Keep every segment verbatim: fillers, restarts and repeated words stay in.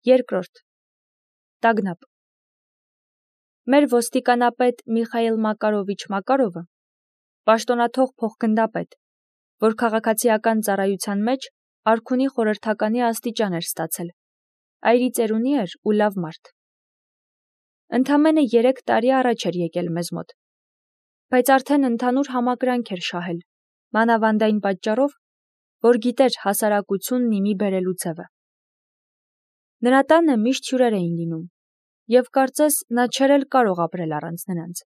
Երկրորդ. Տագնապ։ Մեր ոստիկանապետ Միխայիլ Մակարովիչ Մակարովը, պաշտոնաթող փոխգնդապետ, որ քաղաքացիական ծառայության մեջ արքունի խորհրդականի աստիճան էր ստացել, այրի ծերունի էր ու լավ մարդ։ Ընդամենը երեք տարի առաջ էր եկել մեզ մոտ, բայց արդեն ընդհանուր համակրանք էր շահել, մանավանդ այն պատճառով, որ գիտեր հասարակությունն իմի բերելու ձևը։ Նրա տանը միշտ հյուրեր էին լինում, և կարծես նա չէր էլ կարող ապրել առանց նրանց։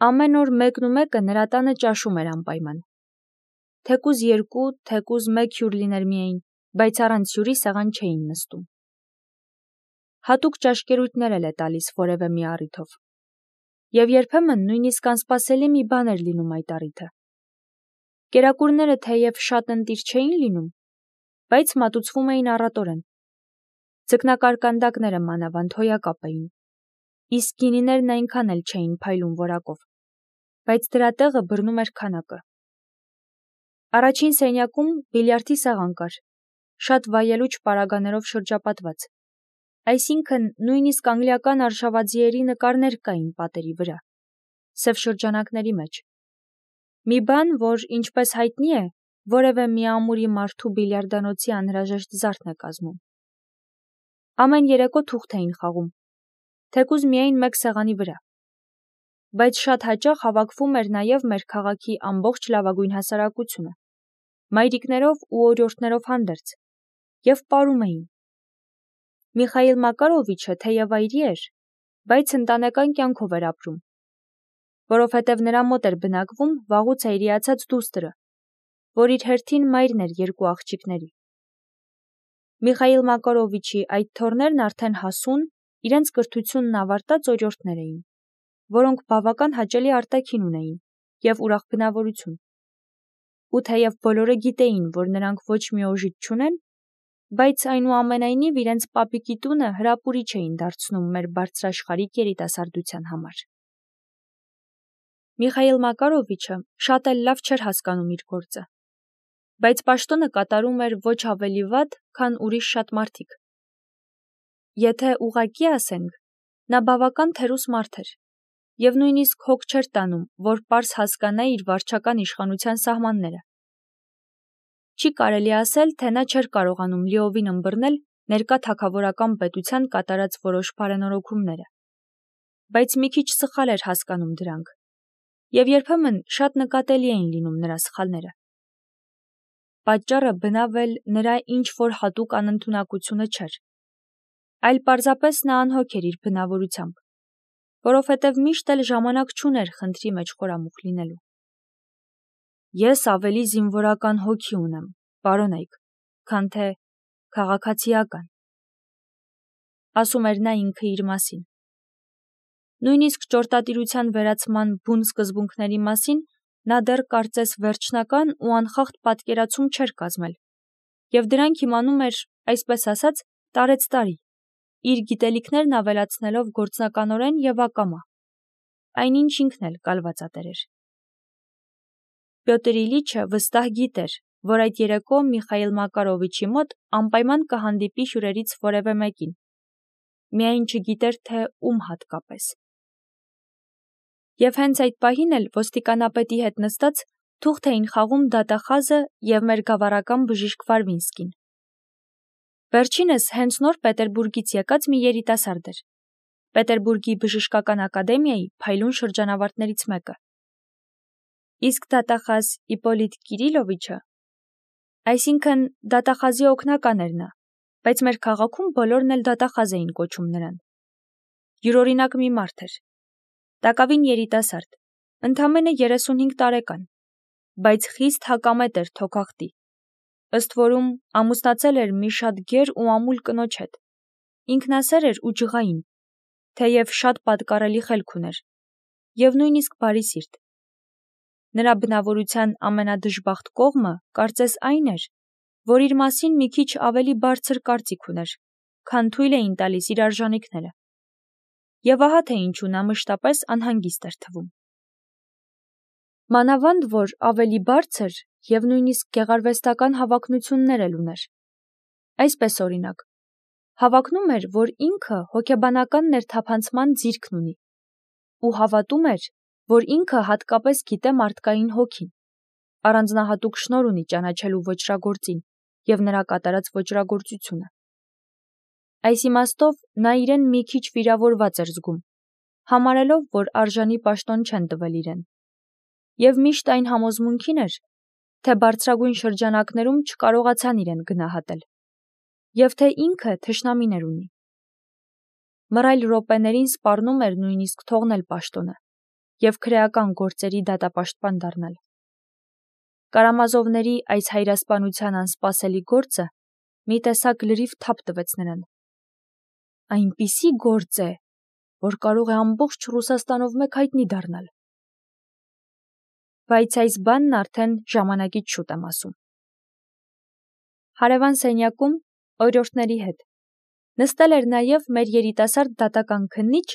Ամեն օր մեկն ու մեկը նրա տանը ճաշում էր անպայման։ Թեկուզ երկու, թեկուզ մեկ հյուր լիներ միայն, բայց առանց հյուրի սեղան չէին նստում։ Հատուկ ճաշկերույթներ էլ է տալիս որևէ մի առիթով։ Եվ երբեմն նույնիսկ անսպասելի մի բան էր լինում այդ առիթը։ Կերակուրները թեև շատ ընտիր չէին լինում, բայց մատուցվում էին առատորեն։ Ձկնակարկանդակները մանավանդ հոյակապ էին, իսկ գինիներն այնքան էլ չէին փայլում որակով, բայց դրա տեղը բռնում էր քանակը։ Առաջին սենյակում բիլիարդի սեղան կար, շատ վայելուչ պարագաներով շրջապատված, այսինքն նույնիսկ անգլիական արշավաձիերի նկարներ կային պատերի վրա, սև շրջանակների մեջ։ Մի բան, որ, ինչպես հայտնի է, որևէ մի ամուրի մարդու բիլիարդանոցի անհրաժեշտ զարդն է կազմում։ Ամեն երեկո թուղթ էին խաղում, թեկուզ միայն մեկ սեղանի վրա, բայց շատ հաճախ հավաքվում էր նաև մեր քաղաքի ամբողջ լավագույն հասարակությունը, մայրիկներով ու օրիորդներով հանդերձ, և պարում էին։ Միխայիլ Մակարովիչը թեև այրի էր, բայց ընտանեկան կյանքով էր ապրում, որովհետև նրա մոտ էր բնակվում վաղուց այրիացած դուստրը, որ իր հերթին մայրն էր երկու աղջիկների։ Միխայիլ Մակարովիչի այդ թոռներն արդեն հասուն, իրենց կրթությունն ավարտած օրիորդներ էին, որոնք բավական հաճելի արտաքին ունեին և ուրախ բնավորություն։ Ու թեև բոլորը գիտեին, որ նրանք ոչ մի օժիտ չունեն, բայց այնուամենայնիվ իրենց պապիկի տունը հրապուրիչ էին դարձնում մեր բարձրաշխարհիկ երիտասարդության համար։ Միխայիլ Մակարովիչը շատ էլ լավ չէր հասկանում իր գործը, բայց պաշտոնը կատարում էր ոչ ավելի վատ, քան ուրիշ շատ մարդիկ։ Եթե ուղղակի ասենք, նա բավական թերուս մարդ էր, և նույնիսկ հոգ չէր տանում, որ պարզ հասկանա իր վարչական իշխանության սահմանները։ Չի կարելի ասել, թե նա չէր կարողանում լիովին ըմբռնել ներկա թագավորական պետության կատարած որոշ բարենորոգումները, բայց մի քիչ սխալ էր հասկանում դրանք, և երբեմն շատ նկատելի էին լինում նրա սխալները։ Պատճառը բնավ էլ նրա ինչ-որ հատուկ անընդունակությունը չէր, այլ պարզապես նա անհոգ էր իր բնավորությամբ, որովհետև միշտ էլ ժամանակ չուներ խնդրի մեջ խորամուխ լինելու։ Ես ավելի զինվորական հոգի ունեմ, պարոնայք, քան թե քաղաքացիական, ասում էր նա ինքը իր մասին։ Նույնիսկ ճորտատիրության վերացման բուն սկզբունքների մասին նա դեռ կարծես վերջնական ու անխախտ պատկերացում չէր կազմել, և դրանք իմանում էր, այսպես ասած, տարեցտարի, իր գիտելիքներն ավելացնելով գործնականորեն և ակամա, այնինչ ինքն էլ կալվածատեր էր։ Պյոտր Իլիչը վստահ գիտեր, որ այդ երեկո Միխայիլ Մակարովիչի մոտ անպայման կհանդիպի հյուրերից որևէ մեկին, միայն չգիտեր, թե ում հատկապես։ Եվ հենց այդ պահին էլ ոստիկանապետի հետ նստած թուղթ էին խաղում դատախազը և մեր գավառական բժիշկ Վարվինսկին։ Վերջինս հենց նոր Պետերբուրգից եկած մի երիտասարդ էր, Պետերբուրգի բժշկական ակադեմիայի փայլուն շրջանավարտներից մեկը։ Իսկ դատախազ Իպոլիտ Կիրիլովիչը, այսինքն դատախազի օգնական էր նա, բայց մեր քաղաքում բոլորն էլ դատախազ էին կոչում նրան։ Յուրօրինակ մի մարդ էր, տակավին երիտասարդ, ընդամենը երեսունհինգ տարեկան, բայց խիստ հակամետ էր թոքախտի, ըստ որում ամուսնացել էր մի շատ գեր ու ամուլ կնոջ հետ, ինքնասեր էր ու ջղային, թեև շատ պատկառելի խելք ուներ, և նույնիսկ բարի սիրտ։ Նրա բնավորության ամենադժբախտ կողմը կարծես այն էր, որ իր մասին մի քիչ ավելի բարձր կարծիք ուներ, քան թույլ էին տալիս իր արժանիքները, և ահա թե ինչու նա մշտապես անհանգիստ էր թվում։ Մանավանդ որ ավելի բարձր և նույնիսկ գեղարվեստական հավակնություններ էլ ուներ։ Այսպես օրինակ, Հավակնում էր, որ ինքը հոգեբանական ներթափանցման ձիրքն ունի ու հավատում էր, որ ինքը հատկապես գիտե մարդկային հոգին, առանձնահատուկ շնորհ ունի ճանաչելու ոճրագործին և նրա կատարած ոճրագործությունը։ Այս իմաստով նա իրեն մի քիչ վիրավորված էր զգում, համարելով, որ արժանի պաշտոն չեն տվել իրեն, և միշտ այն համոզմունքին էր, թե բարձրագույն շրջանակներում չկարողացան իրեն գնահատել, և թե ինքը թշնամիներ ունի։ Մռայլ րոպեներին սպառնում էր նույնիսկ թողնել պաշտոնը և քրեական գործերի դատապաշտպան դառնալ։ Կարամազովների այս հայրասպանության անսպասելի գործը մի տեսակ լրիվ թափ տվեց նրան։ Այնպիսի գործ է, որ կարող է ամբողջ Ռուսաստանով մեկ հայտնի դառնալ։ Բայց այս բանն արդեն ժամանակից շուտ եմ ասում։ Հարևան սենյակում օրիորդների հետ նստել էր նաև մեր երիտասարդ դատական քննիչ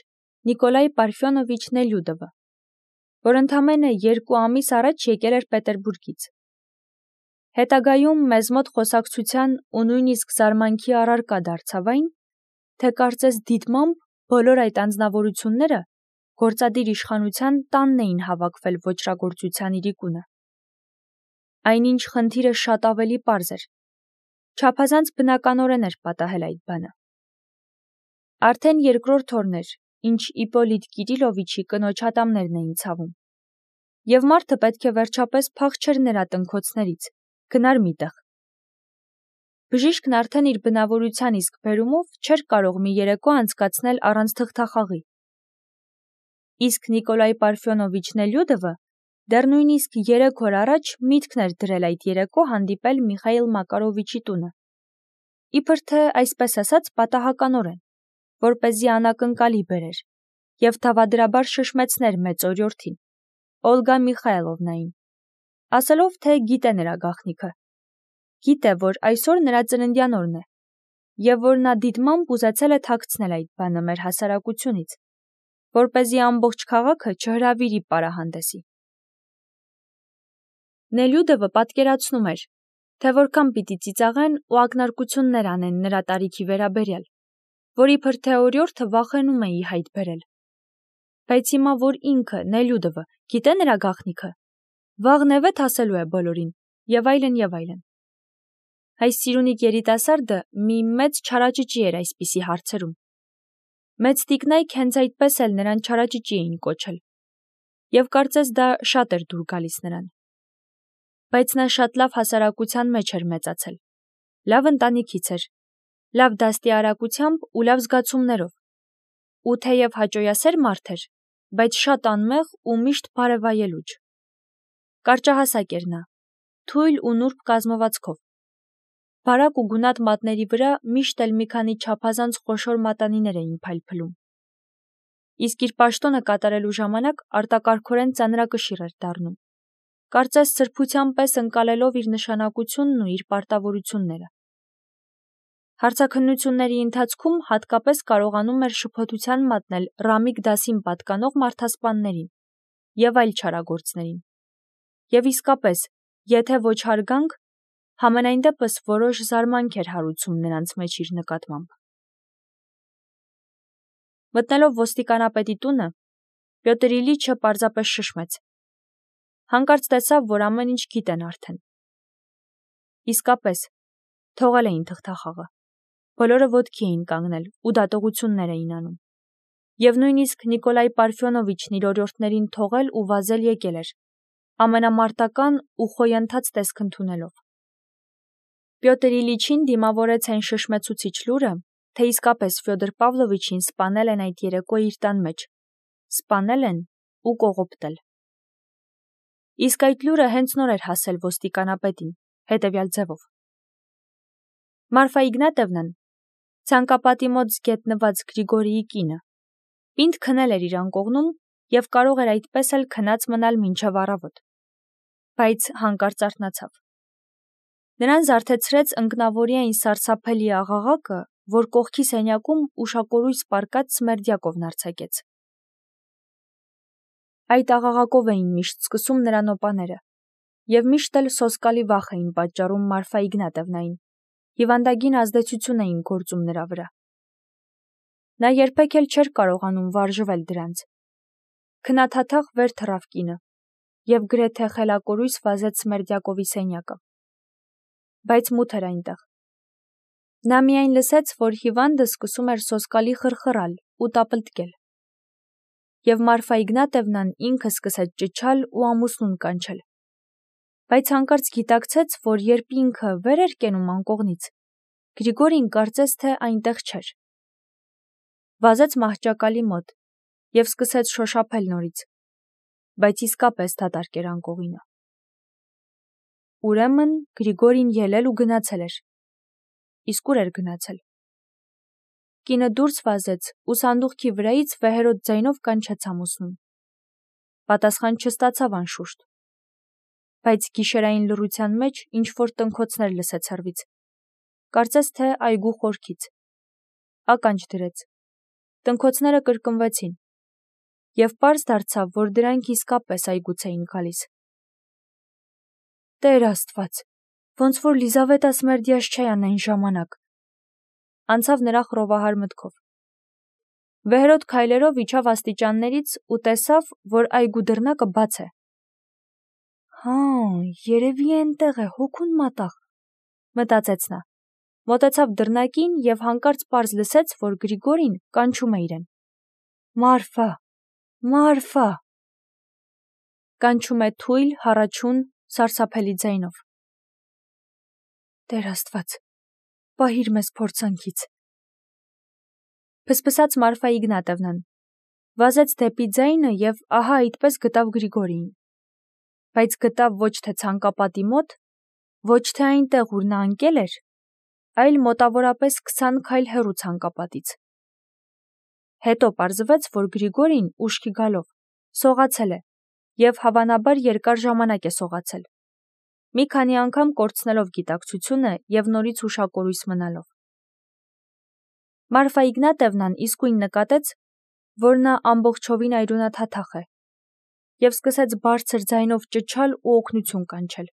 Նիկոլայ Պարֆյոնովիչ Նելյուդովը, որ ընդամենը երկու ամիս առաջ եկել էր Պետերբուրգից։ Հետագայում մեզ մոտ խոսակցության ու նույնիսկ զարմանքի առարկա դարձավ այն, թե կարծես դիտմամբ բոլոր այդ անձնավորությունները գործադիր իշխանության տանն էին հավաքվել ոճրագործության իրիկունը։ Այնինչ խնդիրը շատ ավելի պարզ էր, չափազանց բնականորեն էր պատահել այդ բանը։ Արդեն երկրորդ օրն էր, ինչ Իպոլիտ Կիրիլովիչի կնոջ ատամներն էին ցավում, և մարդը պետք է վերջապես փախչեր նրա տնքոցներից, գնար մի տեղ։ Բժիշկն արդեն իր բնավորության իսկ բերումով չէր կարող մի երեկո անցկացնել առանց թղթախաղի։ Իսկ Նիկոլայ Պարֆյոնովիչ Նելյուդովը դեռ նույնիսկ երեք օր առաջ միտքն էր դրել այդ երեկո հանդիպել Միխայիլ Մակարովիչի տունը, իբր թե, այսպես ասած, պատահականորեն, որպեսզի անակնկալի բերեր և դավադրաբար շշմեցներ մեծ օրիորդին, Օլգա Միխայլովնային, ասելով, թե գիտե նրա գաղտնիքը, գիտե, որ այսօր նրա ծննդյան օրն է, և որ նա դիտմամբ ուզեցել է թաքցնել այդ բանը մեր հասարակությունից, որպեսզի ամբողջ քաղաքը չհրավիրի պարահանդեսի։ Նելյուդովը պատկերացնում էր, թե որքան պիտի ծիծաղեն ու ակնարկություններ անեն նրա տարիքի վերաբերյալ, որ իբր թե օրիորդը վախենում է ի հայտ բերել։ Բայց հիմա, որ ինքը, Նելյուդովը, գիտե նրա գաղտնիքը, վաղ նևեթ ասելու է բոլորին, և այլն, և այլն։ Այս սիրունիկ երիտասարդը մի մեծ չարաճճի էր այսպիսի հարցերում։ Մեծ տիկնայք հենց այդպես էլ նրան չարաճճի էին կոչել, և կարծես դա շատ էր դուր գալիս նրան։ Բայց նա շատ լավ հասարակության մեջ էր մեծացել, լավ ընտանիքից էր, լավ դաստիարակությամբ ու լավ զգացումներով, ու թեև հաճոյասեր մարդ էր, բայց շատ անմեղ ու միշտ բարևայելուչ։ Կարճահասակ էր նա, թույլ ու նուրբ կազմվածքով։ Բարակ ու գունատ մատների վրա միշտ էլ մի քանի չափազանց խոշոր մատանիներ էին փայլփլում։ Իսկ իր պաշտոնը կատարելու ժամանակ արտակարգորեն ծանրակշիռ էր դառնում, կարծես սրբության պես ընկալելով իր նշանակությունն ու իր պարտավորությունները։ Հարցաքննությունների ընթացքում հատկապես կարողանում էր շփոթության մատնել Ռամիկ դասին պատկանող մարդասպաններին և այլ չարագործներին։ Եվ իսկապես, եթե ոչ հարգանք, համենայն դեպս որոշ զարմանք էր հարուցում նրանց մեջ իր նկատմամբ։ Մտնելով ոստիկանապետի տունը, Պյոտր Իլիչը պարզապես շշմեց։ Հանկարծ տեսավ, որ ամեն ինչ գիտեն արդեն։ Իսկապես, թողել էին թղթախաղը։ Բոլորը ոտքի էին կանգնել ու դատողություններ էին անում։ Եվ նույնիսկ Նիկոլայ Պարֆյոնովիչն իր օրիորդներին թողել ու վազել եկել էր, ամենամարտական ու խոյընթաց տեսք ընդունելով։ Պյոտր Իլիչին դիմավորեց այն շշմեցուցիչ լուրը, թե իսկապես Ֆյոդոր Պավլովիչին սպանել են այդ երեկո իր տան մեջ, սպանել են ու կողոպտել։ Իսկ այդ լուրը հենց նոր էր հասել ոստիկանապետին, հետևյալ ձևով. Մարֆա Իգնատևնան, ցանկապատի մոտ գետնված Գրիգորիի կինը, պինդ քնել էր իր անկողնում և կարող էր այդպես էլ քնած մնալ մինչև առավոտ, բայց հանկարծ արթնացավ։ Նրան զարթեցրեց ընկնավորյա այն սարսափելի աղաղակը, որ կողքի սենյակում ուշակորույս պառկած Սմերդյակովն արձակեց։ Այդ աղաղակով էին միշտ սկսում նրա նոպաները, և միշտ էլ սոսկալի վախ էին պատճառում Մարֆա Իգնատևնային, հիվանդագին ազդեցություն էին գործում նրա վրա։ Նա երբեք էլ չէր կարողանում վարժվել դրանց։ Քնաթաթախ վեր թռավ կինը և գրեթե խելակորույս վազեց Սմերդյակովի սենյակը։ Բայց մութ էր այնտեղ։ Նա միայն լսեց, որ հիվանդը սկսում էր սոսկալի խրխռալ ու տապլտկել։ Եվ Մարֆա Իգնատևնան ինքը սկսեց ճչալ ու ամուսնուն կանչել։ Բայց հանկարծ գիտակցեց, որ երբ ինքը վեր էր կենում անկողնից, Գրիգորին կարծես թե այնտեղ չէր։ Վազեց մահճակալի մոտ և սկսեց շոշափել նորից, բայց իսկապես դատարկ էր անկողինը։ Ուրեմն Գրիգորին ելել ու գնացել էր։ Իսկ ուր էր գնացել։ Կինը դուրս վազեց ու սանդուղքի վրայից վեհերոտ ձայնով կանչեց ամուսնուն։ Պատասխան չստացավ անշուշտ, բայց գիշերային լռության մեջ ինչ-որ տնքոցներ լսեց հեռվից, կարծես թե այգու խորքից։ Ականջ դրեց։ Տնքոցները կրկնվեցին, և պարզ դարձավ, որ դրանք իսկապես այգուց էին գալիս։ Տեր Աստված, ոնց որ Լիզավետա Սմերդյաշչայանն այն ժամանակ, անցավ նրա խռովահար մտքով։ Վեհերոտ քայլերով իջավ աստիճաններից ու տեսավ, որ այգու դռնակը բաց է։ Հա, երևի էնտեղ է, հոգուն մատաղ, մտածեց նա։ Մոտեցավ դռնակին և հանկարծ պարզ լսեց, որ Գրիգորին կանչում է իրեն։ Մարֆա, Մարֆա։ Կանչում է թույլ, հառաչուն, սարսափելի ձայնով։ Տեր Աստված, պահիր մեզ փորձանքից։ Փսփսաց Մարֆա Իգնատևնան, վազեց դեպի ձայնը և ահա այդպես գտավ Գրիգորիին։ Բայց գտավ ոչ թե ցանկապատի մոտ, ոչ թե այնտեղ, ուր նա ընկել էր, այլ մոտավորապես քսան քայլ հեռու ցանկապատից։ Հետո պարզվեց, որ Գրիգորին ուշքի գալով սողացել է և հավանաբար երկար ժամանակ է սողացել, մի քանի անգամ կորցնելով գիտակցությունը և նորից ուշակորույս մնալով։ Մարֆա Իգնատևնան իսկույն նկատեց, որ նա ամբողջովին այրունաթաթախ է, և սկսեց բարձր ձայնով ճչալ ու օգնություն կանչել։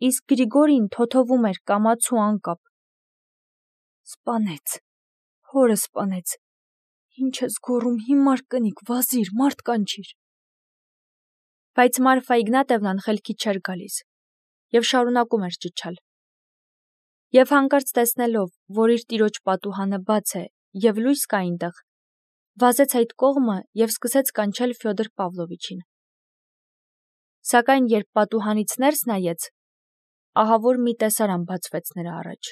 Իսկ Գրիգորին թոթովում էր կամաց ու անկապ։ Սպանեց, հորը սպանեց, ինչ ես գոռում, հիմար կնիկ, վազիր, մարդ կանչիր։ Բայց Մարֆա Իգնատևնան խելքից չէր գալիս և շարունակում էր ճչալ։ Եվ հանկարծ տեսնելով, որ իր տիրոջ պատուհանը բաց է և լույս կա այնտեղ, վազեց այդ կողմը և սկսեց կանչել Ֆյոդոր Պավլովիչին։ Սակայն երբ պատուհանից ներս նայեց, ահավոր մի տեսարան բացվեց նրա առաջ։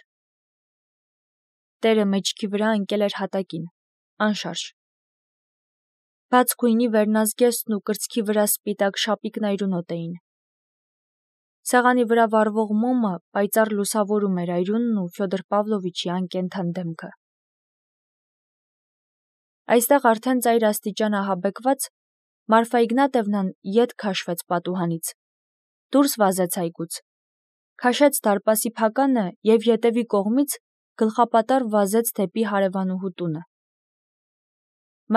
Տերը մեջքի վրա ընկել էր հատակին, անշարժ։ Բաց գույնի վերնազգեստն ու կրծքի վրա սպիտակ շապիկն այրունոտ էին։ Սեղանի վրա վառվող մոմը պայծառ լուսավորում էր այրունն ու Ֆյոդոր Պավլովիչի անկենդան դեմքը։ Այստեղ արդեն ծայր աստիճան ահաբեկված, Մարֆա Իգնատևնան ետ քաշվեց պատուհանից, դուրս վազեց այգուց, քաշեց դարպասի փականը և ետևի կողմից գլխապատառ վազեց դեպի հարևանուհու տունը։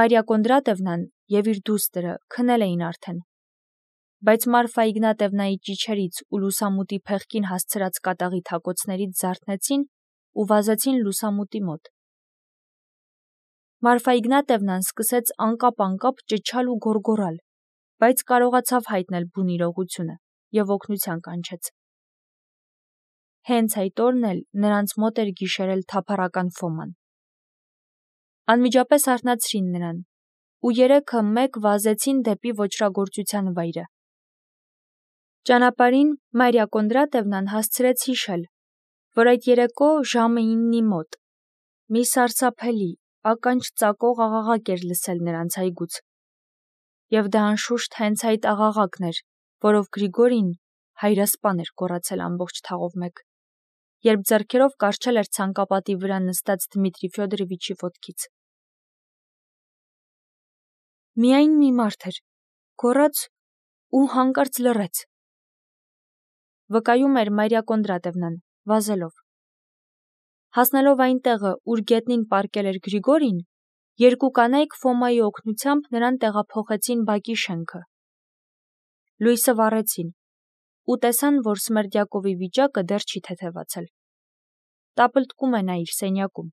Մարիա Կոնդրատևնան և իր դուստրը քնել էին արդեն, բայց Մարֆա Իգնատևնայի ճիչերից ու լուսամուտի փեղկին հասցրած կատաղի թակոցներից զարթնեցին ու վազեցին լուսամուտի մոտ։ Մարֆա Իգնատևնան սկսեց անկապ-անկապ ճչալ ու գոռգոռալ, բայց կարողացավ հայտնել բուն իրողությունը և օգնության կանչեց։ Հենց այդ օրն էլ նրանց մոտ էր գիշերել թափառական Ֆոման։ Անմիջապես արթնացրին նրան, ու երեքը մեկ վազեցին դեպի ոճրագործության վայրը։ Ճանապարհին Մարիա Կոնդրատևնան հասցրեց հիշել, որ այդ երեկո ժամը իննի մոտ մի սարսափելի, ականջ ծակող աղաղակ էր լսել նրանց այգուց, և դա անշուշտ հենց այդ աղաղակն էր, որով Գրիգորին հայրասպան էր գոռացել ամբողջ թաղով մեկ, երբ ձեռքերով կառչել էր ցանկապատի վրա նստած Դմիտրի Ֆյոդորովիչի ոտքից։ Միայն մի մարդ էր, գոռաց ու հանկարծ լռեց, վկայում էր Մարիա Կոնդրատևնան, վազելով։ Հասնելով այն տեղը, ուր գետնին պառկել էր Գրիգորին, երկու կանայք Ֆոմայի օգնությամբ նրան տեղափոխեցին բակի շենքը։ Լույսը վառեցին ու տեսան, որ Սմերդյակովի վիճակը դեռ չի թեթևացել։ Տապլտկում է նա իր սենյակում,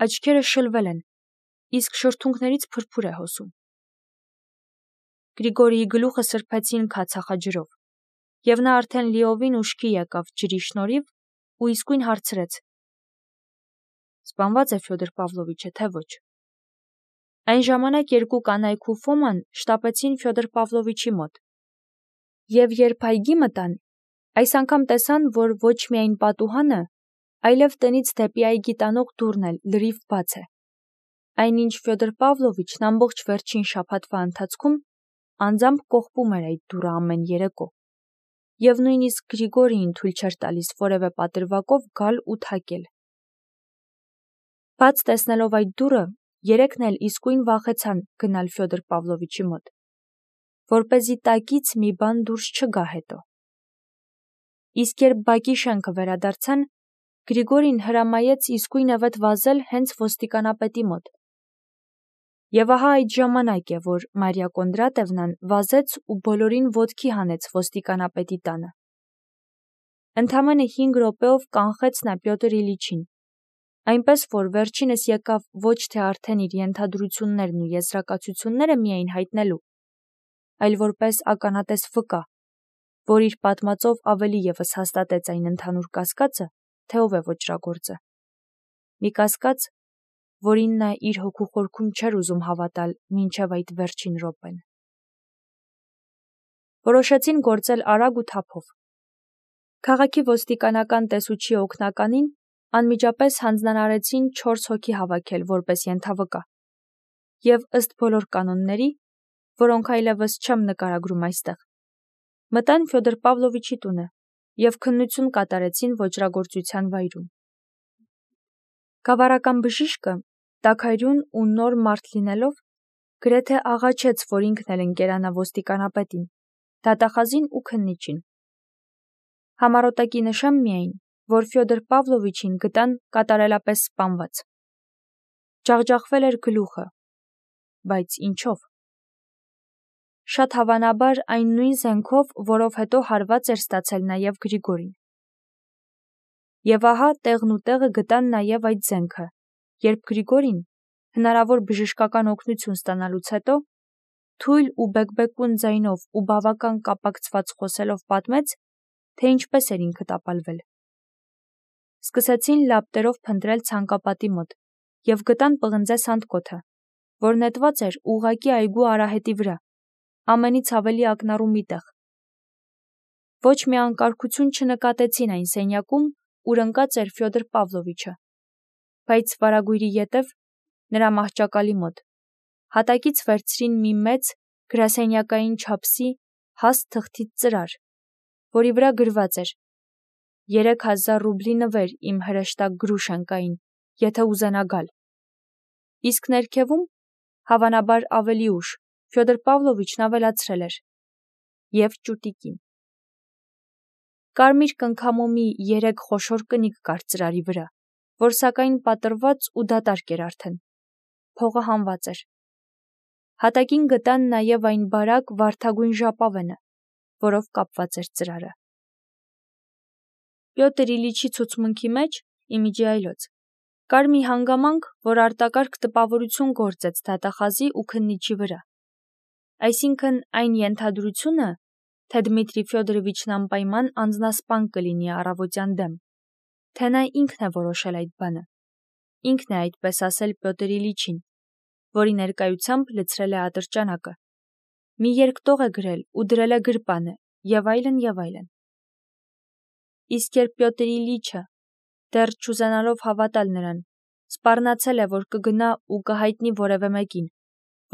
աչքերը շլվել են, իսկ շրթունքներից փրփուր է հոսում։ Գրիգորիի գլուխը սրբեցին քացախաջրով, և նա արդեն լիովին ուշքի եկավ ջրի շնորհիվ ու իսկույն հարցրեց. Սպանված է Ֆյոդոր Պավլովիչը, թե ոչ։ Այն ժամանակ երկու կանայք ու Ֆոման շտապեցին Ֆյոդոր Պավլովիչի մոտ։ Եվ երբ այգի մտան, այս անգամ տեսան, որ ոչ միայն պատուհանը, այլև տնից դեպի այգի տանող դուռն էլ լրիվ բաց է։ Այնինչ Ֆյոդոր Պավլովիչն ամբողջ վերջին շաբաթվա ընթացքում անձամբ կողպում էր այդ դուռը ամեն երեկո, և նույնիսկ Գրիգորիին թույլ չէր տալիս որևէ պատրվակով գալ ու թակել։ Բաց տեսնելով այդ դուռը, երեքն էլ իսկույն վախեցան գնալ Ֆյոդոր Պավլովիչի մոտ, որպեսզի տակից մի բան դուրս չգա հետո։ Իսկ երբ բակի շենքը վերադարձան, Գրիգորին հրամայեց իսկույնևեթ վազել հենց ոստիկանապետի մոտ։ Եվ ահա այդ ժամանակ է, որ Մարիա Կոնդրատևնան վազեց ու բոլորին ոտքի հանեց ոստիկանապետի տանը։ Ընդամենը հինգ րոպեով կանխեց նա Պյոտր Իլիչին, այնպես որ վերջինս եկավ ոչ թե արդեն իր ենթադրություններն ու եզրակացությունները միայն հայտնելու, այլ որպես ականատես վկա, որ իր պատմածով ավելի ևս հաստատեց այն ընդհանուր կասկածը, թե ով է ոճրագործը։ Մի կասկած, որին նա իր հոգու խորքում չէր ուզում հավատալ մինչև այդ վերջին րոպեն։ Որոշեցին գործել արագ ու թափով։ Քաղաքի ոստիկանական տեսուչի օգնականին անմիջապես հանձնարարեցին չորս հոգի հավաքել որպես ենթավկա, և ըստ բոլոր կանոնների, որոնք այլևս չեմ նկարագրում այստեղ, մտան Ֆյոդոր Պավլովիչի տունը և քննություն կատարեցին ոճրագործության վայրում։ Գավառական բժիշկը, տաքարյուն ու նոր մարդ լինելով, գրեթե աղաչեց, որ ինքն էլ ընկերանա ոստիկանապետին, դատախազին ու քննիչին։ Համառոտակի նշեմ միայն, որ Ֆյոդոր Պավլովիչին գտան կատարելապես սպանված։ Ջախջախվել էր գլուխը, բայց ինչով։ Շատ հավանաբար այն նույն զենքով, որով հետո հարված էր ստացել նաև Գրիգորին։ Եվ ահա տեղն ու տեղը գտան նաև այդ զենքը, երբ Գրիգորին, հնարավոր բժշկական օգնություն ստանալուց հետո, թույլ ու բեկբեկուն ձայնով ու բավական կապակցված խոսելով պատմեց, թե ինչպես էր ինքը տապալվել։ Սկսեցին լապտերով փնտրել ցանկապատի մոտ և գտան պղնձե սանդկոթը, որ նետված էր ուղղակի այգու արահետի վրա, ամենից ավելի ակնառու մի տեղ։ Ոչ մի անկարգություն չնկատեցին այն սենյակում, ուր ընկած էր Ֆյոդոր Պավլովիչը, բայց վարագույրի ետև, նրա մահճակալի մոտ, հատակից վերցրին մի մեծ գրասենյակային չափսի հաստ թղթից ծրար, որի վրա գրված էր. երեք հազար ռուբլի նվեր իմ հրեշտակ Գրուշենկային, եթե ուզենա գալ։ Իսկ ներքևում, հավանաբար ավելի ուշ, Ֆյոդոր Պավլովիչն ավելացրել էր. և ճուտիկին։ Կարմիր կնքամոմի երեք խոշոր կնիկ կար ծրարի վրա, որ սակայն պատռված ու դատարկ էր արդեն։ Փողը հանված էր։ Հատակին գտան նաև այն բարակ վարդագույն ժապավենը, որով կապված էր ծրարը։ Պյոտր Իլիչի ցուցմունքի մեջ, իմիջի այլոց, կար մի հանգամանք, որ արտակարգ տպավորություն գործեց դատախազի ու քննիչի վրա։ Այսինքն այն ենթադրությունը, թե Դմիտրի Ֆյոդորովիչն անպայման անձնասպան կլինի առավոտյան դեմ, թե նա ինքն է որոշել այդ բանը, ինքն է այդպես ասել Պյոտր Իլիչին, որի ներկայությամբ լցրել է ատրճանակը, մի երկտող է գրել ու դրել է գրպանը, և այլն, և այլն։ Իսկ երբ Պյոտր Իլիչը, դեռ չուզենալով հավատալ նրան, սպառնացել է, որ կգնա ու կհայտնի որևէ մեկին,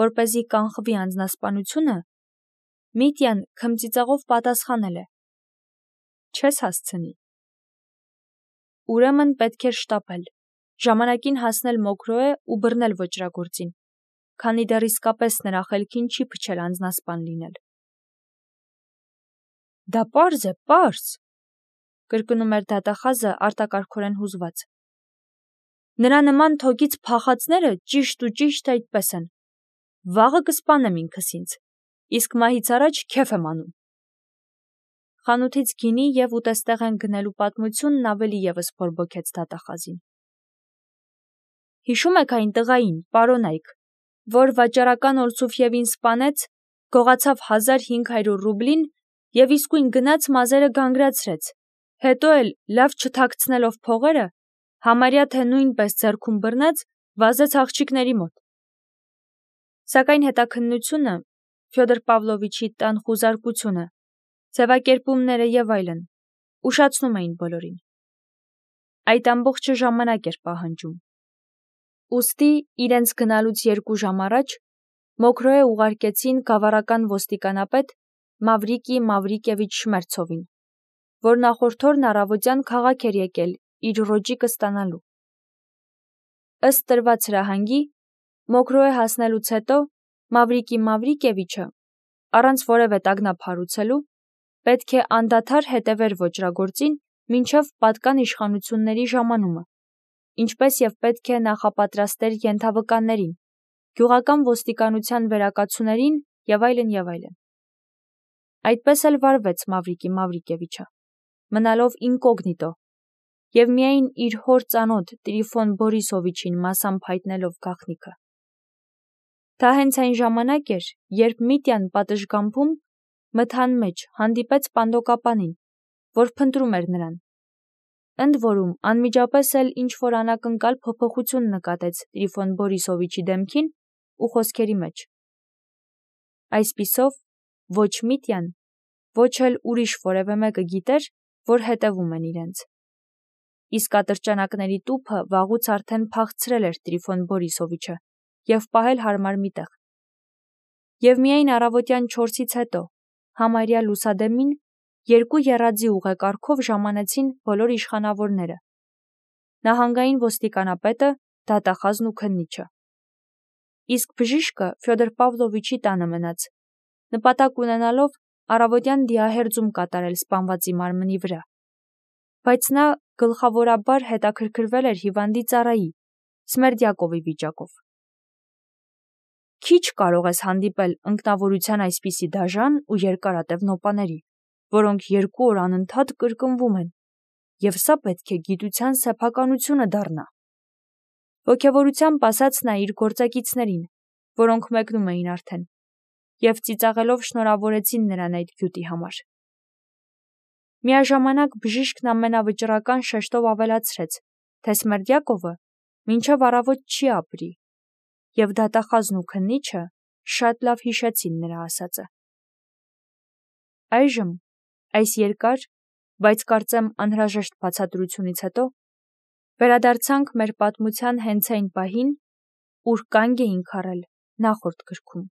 որպեսզի կանխվի անձնասպանությունը, Միտյան քմծիծաղով պատասխանել է. չես հասցնի։ Ուրեմն պետք էր շտապել, ժամանակին հասնել Մոկրոե ու բռնել ոճրագործին, քանի դեռ իսկապես նրա խելքին չի փչել անձնասպան լինել։ Դա պարզ է, պարզ, կրկնում էր դատախազը արտակարգորեն հուզված։ Նրա նման թոկից փախածները ճիշտ ու ճիշտ այդպես են։ Վաղը կսպանեմ ինքս ինձ, իսկ մահից առաջ քեֆ եմ անում։ Խանութից գինի և ուտեստեղեն գնելու պատմությունն ավելի ևս բորբոքեց դատախազին։ Հիշում եք այն տղային, պարոնայք, որ վաճառական Օլսուֆևին սպանեց, գողացավ հազար հինգ հարյուր ռուբլին և իսկույն գնաց մազերը գանգրացրեց, հետո էլ լավ չթաքցնելով փողերը, համարյա թե նույնպես ձեռքում բռնեց, վազեց աղջիկների մոտ։ Սակայն հետաքննությունը, Ֆյոդոր Պավլովիչի տան խուզարկությունը, ձևակերպումները և այլն ուշացնում էին բոլորին։ Այդ ամբողջը ժամանակ էր պահանջում։ Ուստի իրենց գնալուց երկու ժամ առաջ Մոքրոյե ուղարկեցին գավառական ոստիկանապետ Մավրիկի Մավրիկևիչ Շմերցովին, որ նախորդ օրն առավոտյան քաղաք էր եկել իր ռոճիկը ստանալու։ Ըստ տրված հրահանգի, Մոքրոյե հասնելուց հետո Մավրիկի Մավրիկևիչը, առանց որևէ տագնապ հարուցելու, պետք է անդադար հետևեր ոճրագործին մինչև պատկան իշխանությունների ժամանումը, ինչպես և պետք է նախապատրաստեր ենթավկաներին, գյուղական ոստիկանության վերակացուներին և այլն և այլն։ Այդպես էլ վարվեց Մավրիկի Մավրիկևիչը, մնալով ինկոգնիտո և միայն իր հոր ծանոթ Տրիֆոն Բորիսովիչին մասամբ հայտնելով գաղտնիքը։ Դա հենց այն ժամանակ էր, երբ Միտյան պատշգամբում մթան մեջ հանդիպեց Պանդոկապանին, որ փնտրում էր նրան։ Ընդ որում, անմիջապես էլ ինչ-որ անակնկալ փոփոխություն նկատեց Տրիֆոն Բորիսովիչի դեմքին ու խոսքերի մեջ։ Այսպիսով, ոչ Միտյան, ոչ էլ ուրիշ որևէ մեկը գիտեր, որ հետևում են իրենց։ Իսկ ատրճանակների տուփը վաղուց արդեն փախցրել էր Տրիֆոն Բորիսովիչը և պահել հարմար մի տեղ։ Եվ միայն առավոտյան չորսից հետո, համարյա լուսադեմին, երկու եռաձի ուղեկարգով ժամանեցին բոլոր իշխանավորները՝ նահանգային ոստիկանապետը, դատախազն ու քննիչը։ Իսկ բժիշկը Ֆյոդոր Պավլովիչի տանը մնաց, նպատակ ունենալով առավոտյան դիահերձում կատարել սպանվածի մարմնի վրա, բայց նա գլխավորաբար հետաքրքրվել էր հիվանդի ծառայի՝ Սմերդյակովի վիճակով։ Քիչ կարող ես հանդիպել ընկնավորության այսպիսի դաժան ու երկարատև նոպաների, որոնք երկու օր անընդհատ կրկնվում են, և սա պետք է գիտության սեփականությունը դառնա։ Ոգևորությամբ ասաց նա իր գործակիցներին, որոնք մեկնում էին արդեն, և ծիծաղելով շնորհավորեցին նրան այդ գյուտի համար։ Միաժամանակ բժիշկն ամենավճռական շեշտով ավելացրեց, թե Սմերդյակովը մինչև առավոտ չի ապրի, և դատախազն ու քննիչը շատ լավ հիշեցին նրա ասածը։ Այժմ, այս երկար, բայց կարծեմ անհրաժեշտ բացատրությունից հետո, վերադարձանք մեր պատմության հենց այն պահին, ուր կանգ էինք առել նախորդ գրքում։